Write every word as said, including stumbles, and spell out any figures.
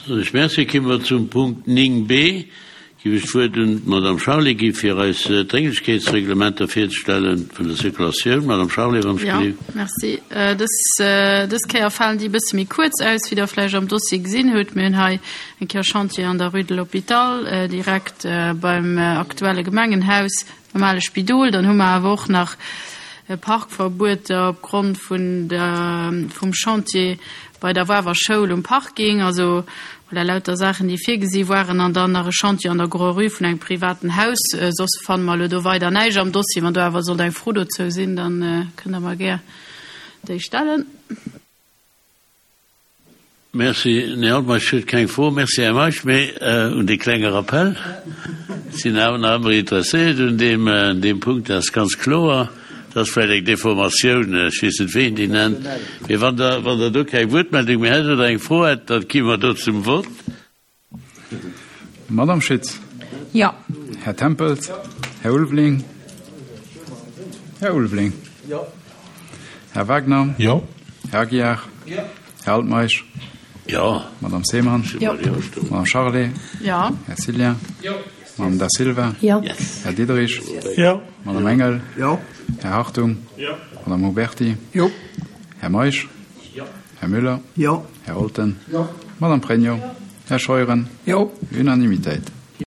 Soen ech Merci. Komme mer zum Punkt néng b. Géif ech d'Wuert un d'Madame Charlé gi fir eis d'Drénglechkeetsreglementer virzestellen vun der Circulatioun. Madame Charlé, wann ech Jo, gelift. merci. Dës, dës Kéier falen déi e bësse méi kuerz aus, wéi Der vläicht am Dossier gesinn hutt. Mir hunn hei eng Kéier Chantier an der Rue de l'Hôpital, direkt beim aktuelle Gemengenhaus, beim ale Spidol. Dann hu mer awer och nach Parkverbueter opgrond vun der, vum Chantier bei der Wawer Schoul um Parking. Also voilà, lauter Saachen, déi virgesi waren. An dann nach e Chantier an der Grand-Rue vun engem privaten Haus. Soss fanne mer elo do weider näischt am Dossier. Wann do awer sollt eng Fro dozou sinn, da kënnt Der mer gär déi stellen. Merci, Här Altmeisch huet keng Fro. Merci, Här Meisch. Mee un dee klenge Rappell, sinn awer nach ëmmer interesséiert un deem, deem Punkt, dat ass ganz kloer. Dat ass vläicht eng Deformatioun, ech weess net, wéi een déi nennt. Mee wann Der, wann Der do keng Wuertmeldung méi hätt oder eng Fro hätt, da gi mer do zum Vott. Madame Schütz. Jo. Här Tempels. Här Ulveling. Här Ulveling. Jo. Här Wagner. Jo. Här Aguiar. Jo. Här Altmeisch. Jo. Madame Seemann. Jo. Madame Charlé. Jo. Här Cillien. Jo. Madame Da Silva. Jo. Här Diderich. Jo. Madame Engel. Jo. Här Hartung. Jo. Madame Huberti. Jo. Här Meisch. Jo. Här Müller. Jo. Här Olten. Jo. Madame Pregno. Här Scheuren. Jo. Unanimitéit.